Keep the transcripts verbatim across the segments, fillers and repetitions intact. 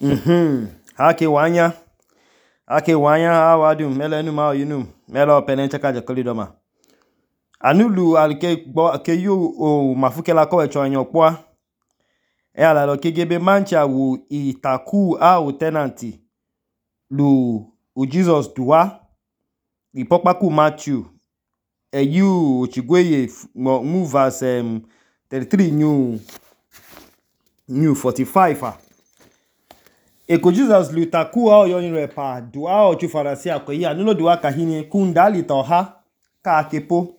Mhm. Hake wanya. Hake wanya awadum melenu ma oyinum. Melo penencheka jekolidoma. Anulu alike gbo ke yu o mafukela ko echo anyokwa. E ala lo kegebe mancha wu itaku a o tenanti. Lu u Jesus duwa. Ipokpaku Matthew. E yu ochigweye mu verse um, thirty-three new new forty-five ah. Eko Jesus lu taku a o yoyin repa duwa o chufarasi akoyi anulo duwa kahini kundali toha ka akepo.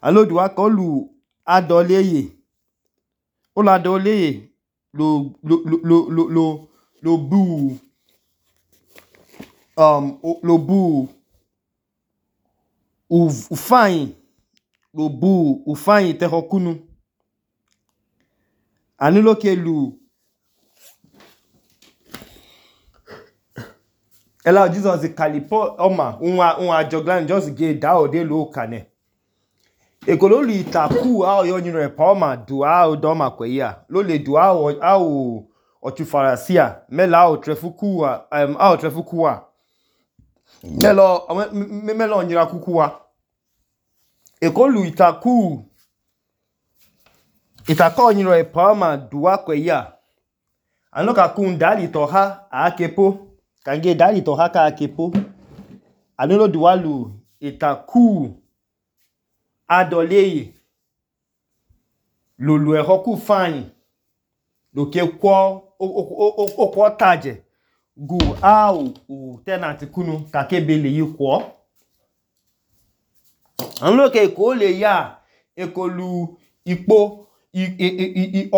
Anulo duwa ko lu adoleye. Ola adoleye lo lo lo lo lo lo bu um lo bu ufain lo bu ufain tehokunu. Anulo ke lu Ela Jesus kalipo oma unwa unwa joglan just ge da o de lo kane. Ekolo lu itaku a o yoyin repa oma duwa o doma kweya. Lo le duwa o a o ochufarasia mela o trefukuwa um a o trefukuwa. Melo me melo onyira kukuwa. Ekolu itaku itako onyira repa oma duwa kweya. Anoka kundali toha a akepo. Kange dali toha ka akepo. Anulo duwa lu itaku adoleye. Lo lu ehoku fain. Lo ke kwa o kwa taje. Gu a o tenanti kunu kakebe le yu kwa. Anulo ke ko le ya ekolu ipo i i i i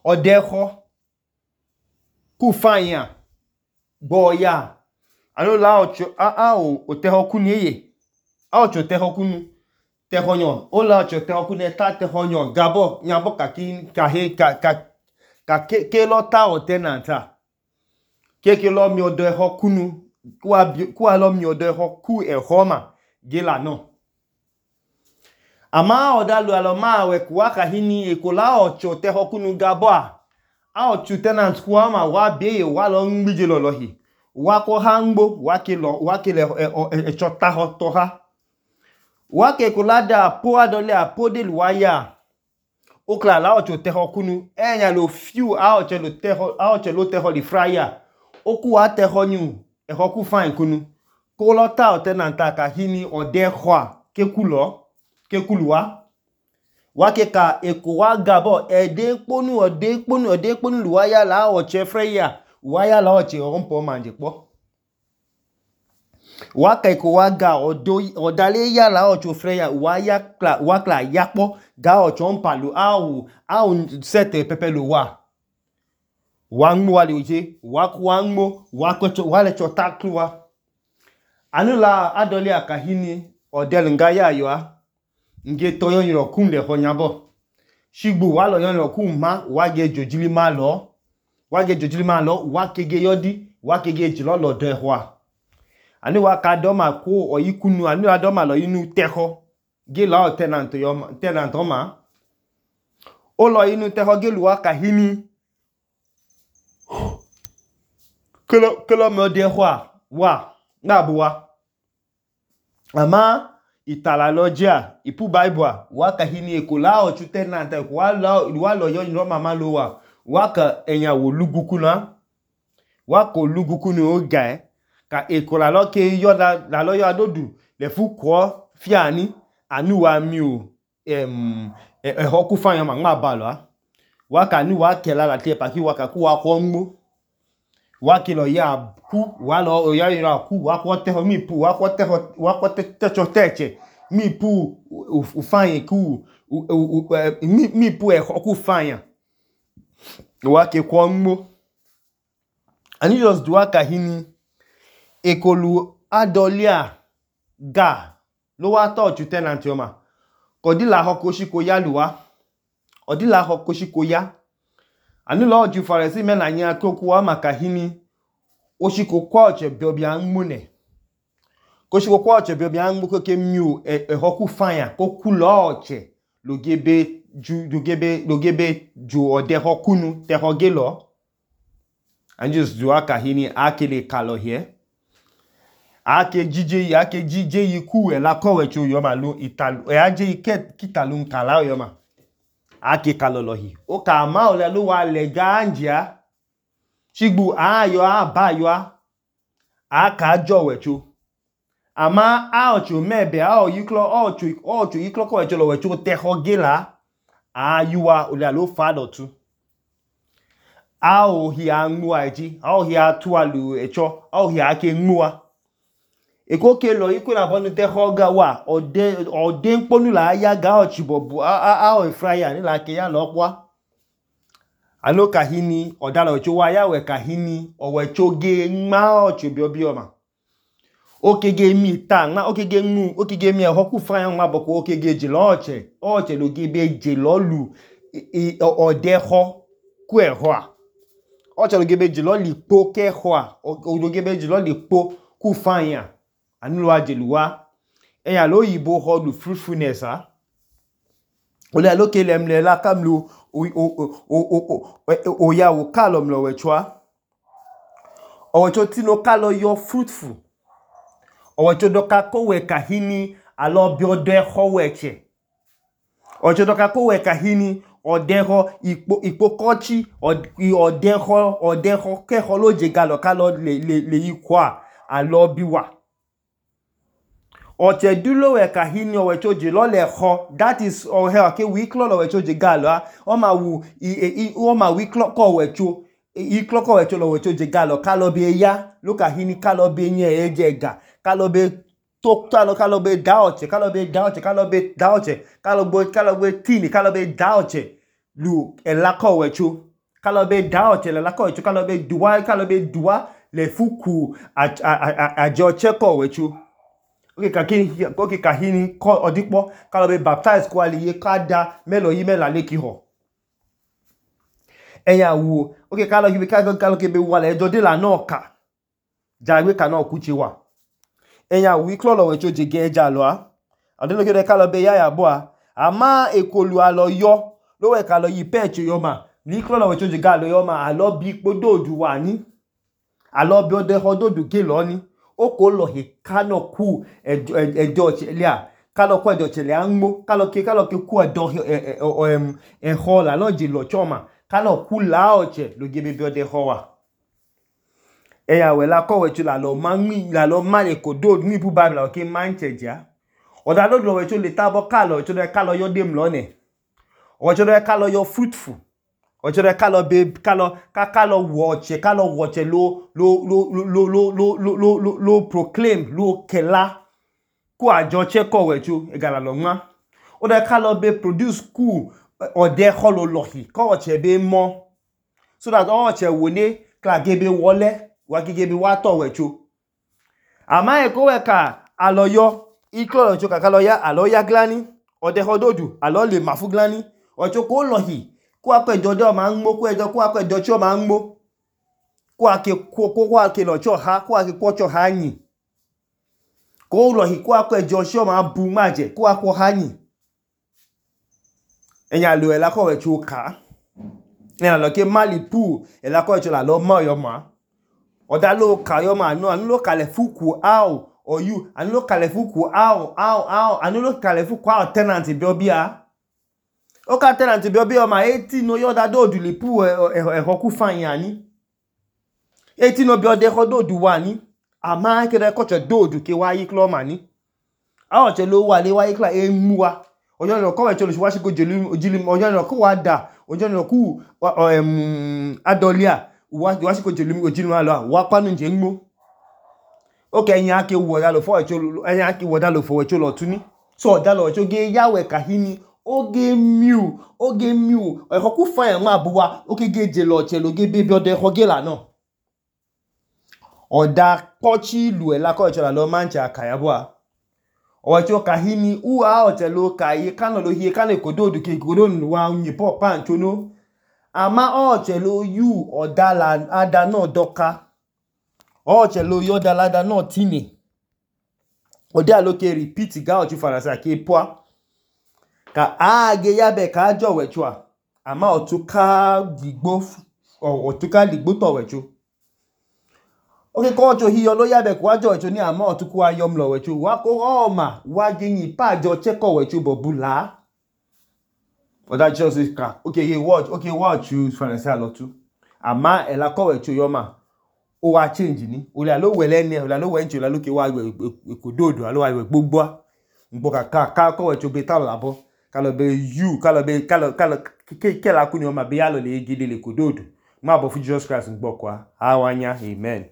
odeho ku fain ya. Bo ya. Anulo la ocho a a o tehokunu yeye. A ocho tehokunu. Tehonyo. Ola ocho tehokunu eta tehonyo. Gabo nyabo kaki kahe ka ka ka ke ke lo ta o tenanta. Ke ke lo mi odo ehokunu. Kwa kwa lo mi odo ehoku ehoma. Gela no. Ama odalu aloma we kwa kahini ekola ocho tehokunu gabo a. A ocho tenant kwa ma wa beye wa lo ngbije lolohi. Wa ko hangbo wa ke lo wa ke le echo taho toha. Wa ke kolada po adole apode luwaya. Okla la ocho tehokunu. Enya lo fiu a ocho lo teho a ocho lo teho li fraya. Oku wa teho nyu ehoku fain kunu. Kolota o tenanta kahini ode hwa ke kulo ke kuluwa. Wa ke ka eko wa gabo ede ponu ode ponu ode ponu luwaya la ocho freya. Waya la oche ompo manje po. Waka eko waga odo odale ya la ocho freya waya kla wakla yapo ga ocho ompalu au au sete pepelu wa. Wangmu wali uje waku wangmu wakocho wale chotakluwa. Anula adole akahini odel ngaya yoa. Nge toyon yirokun le honyabo. Shigbu walo yon yirokun ma wage jojili ma lo. Wage jojili ma lo wakege yodi wakege jilo lo dehwa. Ani waka doma ko oyikunu ani wa doma lo inu teho ge la o tenant yo tenant oma. O lo inu teho ge lu waka hini. Kelo kelo me dehwa wa na buwa. Ama itala lojia ipu bible waka hini ekola o chu tenant wa lo wa lo yo inu mama lo wa. Waka enya wo lugukuna. Wako lugukunu o gae. Ka ekola lo ke yo la, la lo yo adodu. Le fu kwa fiani. Anu wa miu. Em, e, e hoku fanya ma nga balo. Waka anu wa ke la la te paki waka ku wa kwa mbo. Waki lo ya ku. Walo o ya yira ku. Wako teho mi pu. Wako teho. Wako te, techo teche. Mi pu ufanye ku. U, u, u, mi, mi pu e hoku fanya. Wake kwa mbo. Ani just duwaka hini. Ekolu adolia ga. Lo wa to chu tenant yoma. Kodi la hoko shiko ya luwa. Odi la hoko shiko ya. Anu lo ju faresi mena nya kokuwa makahini. Oshiko kwa oche biobi angmune. Koshiko kwa oche biobi angmu koke miu e, e hoku fanya. Koku lo oche. Logebe ju logebe logebe ju ode hokunu te hogelo. and just do akahini akele kalo here ake jije ake jije yiku ela kowecho yoma lu italu e aje iket kitalu kala yoma ake kalo lohi o ka ma ole lu wa le ganjia shigbu ayo abayo aka jowecho ama aocho mebe ao yiklo ocho ocho yiklo kowecho lo wecho teho gela ayuwa ole lu fado tu ao hi anwa eji ao hi atualu echo ao hi ake nwa eko ke lo iko na bonu te hoga wa ode ode nponu la ya ga ochibobu a a o fryer ni la ke ya lo kwa alo kahini odala ocho wa ya we kahini owecho ge nma ocho bi obi oma okege mi ta nma okege nmu okege mi eho ku fryer nma boko okege je lo oche oche lo ge be je lo lu ode ho ku eho a oche lo ge be je lo lipo ke ho a o lo ge be je lo lipo ku fryer anulu ajeluwa eya lo yibo ho lu fruitfulness ha ole lo ke lemle la kamlu o o o o ya wo kalom lo wechwa owecho tino kalo yo fruitful owecho doka ko we kahini alo bi ode ho weche owecho doka ko we kahini odeho ipo ipo kochi odeho odeho ke ho lo je galo kalo le le le ikwa alo biwa oche dulo we kahini owecho je lo le ho that is o he ake wiklo lo wecho je galo o ma wu i o ma wiklo ko wecho iklo ko wecho lo wecho je galo kalo be ya lo kahini kalo be nye eje ga kalo be to kalo kalo be da oche kalo be da oche kalo be da oche kalo bo kalo be tini kalo be da oche lu ela ko wecho kalo be da oche le la ko wecho kalo be duwa kalo be duwa le fuku a a a jo che ko wecho oke kahini oke kahini ko odipo kalo be baptize ko aliye kada melo yi mela leki ho eya wo oke kalo yi kalo kalo ke be wala ejo de la no ka jagbe ka no kuchi wa eya wi klolo wecho je ge eja lo a adelo ke kalo be ya ya bo a ama ekolu alo yo lo we kalo yi peche yo ma ni klolo wecho je ga lo yo ma alo bi pododu wa ni alo bi ode hododu ke lo ni o ko lo he kano ku ejo chelia kalo ko ejo chelia nmo kalo ke kalo ke ku edo em e ho la lo je lo choma kalo ku la oche lo ge be ode ho wa eya we la ko wecho la lo manmi la lo male ko do ni bu bible o ke mancheja oda lo lo wecho le tabo kalo wecho le kalo yo dem lo ne wecho le kalo yo fruitful ocho de kalo be kalo ka kalo watch kalo watch lo lo lo lo lo lo lo lo lo proclaim lo kela ku ajo che ko wecho egala lo nwa o de kalo be produce ku o de holo lohi ko che be mo so that o che woni kla gebe wole wa gebe wa to wecho ama e ko we ka aloyo iklo wecho ka kalo ya aloya glani o de hododu alo le mafu glani ocho ko lohi ku apejo de o ma nmo ku ejo ku apejo chi o ma nmo ku ake ku ku ake lo cho ha ku ake ku cho ha yin ko lo hi ku apejo chi o ma bu maje ku ako ha yin eyan lo ela ko we chu ka eyan lo ke malipu ela ko chu la lo mo yo ma oda lo ka yo ma no anu lo kale fuku ao or you anu lo kale fuku ao ao ao anu lo kale fuku ao tenant bi obia o ka tenant bi obi o ma eighteen no yo da do du le pu e ho ku fan yan ni eighteen no bi o de ho do du wa ni ama ke de ko che do du ke wa yi klo ma ni a o che lo wa le wa yi kla e mu wa ojo no ko we che lo wa shi ko jelu ojili ojo no ko wa da ojo no ku em adolia wa wa shi ko jelu ojili wa lo wa panu nje nmo o ke yan ke wo da lo fo e che lo yan ke wo da lo fo e che lo tuni so da lo che ge yawe kahini oge miu oge miu e ko ku fa yan ma buwa oke geje lo che lo ge bebe ode ho gela no oda pochi lu e la ko che la lo mancha akaya bua o che o kahini u a o che lo kai kan lo hie kan ko do du ke ko do nu wa yin po pan chono ama o che lo yu oda la ada no doka o che lo yo da la da no tini oda lo ke repeat ga o chu farasa ke poa ka age yabe ka jo wechua ama otuka digbo otuka digbo to wechu Okay, kocho hiyo lo yabe kwa jocho ni ama otuku wa yom lo wecho wa ko oma wa ginyi pa jo cheko wecho bobula. But that just is crack. Okay, he watch. Okay, watch you financial lot too. Ama ela ko wecho yoma. O wa change ni. O la lo wele ni, o la lo wencho la lo ke wa ekododo, alo wa gbogbo. Ngbo ka ka ka ko wecho beta labo. Kalo be you, kalo be kalo kalo ke ke la kuni yoma be ya lo le gide le kododo. Ma bo fu Jesus Christ ngbo kwa. Awanya, amen.